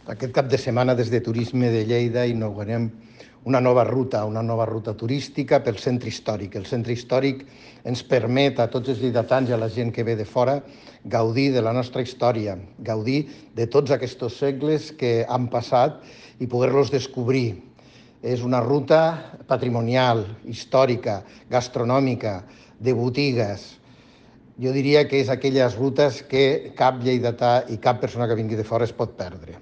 Aquest cap de setmana des de Turisme de Lleida inaugurem una nova ruta turística pel centre històric. El centre històric ens permet a tots els lleidatans i a la gent que ve de fora gaudir de la nostra història, gaudir de tots aquests segles que han passat i poder-los descobrir. És una ruta patrimonial, històrica, gastronòmica, de botigues. Jo diria que és aquelles rutes que cap lleidatà i cap persona que vingui de fora es pot perdre.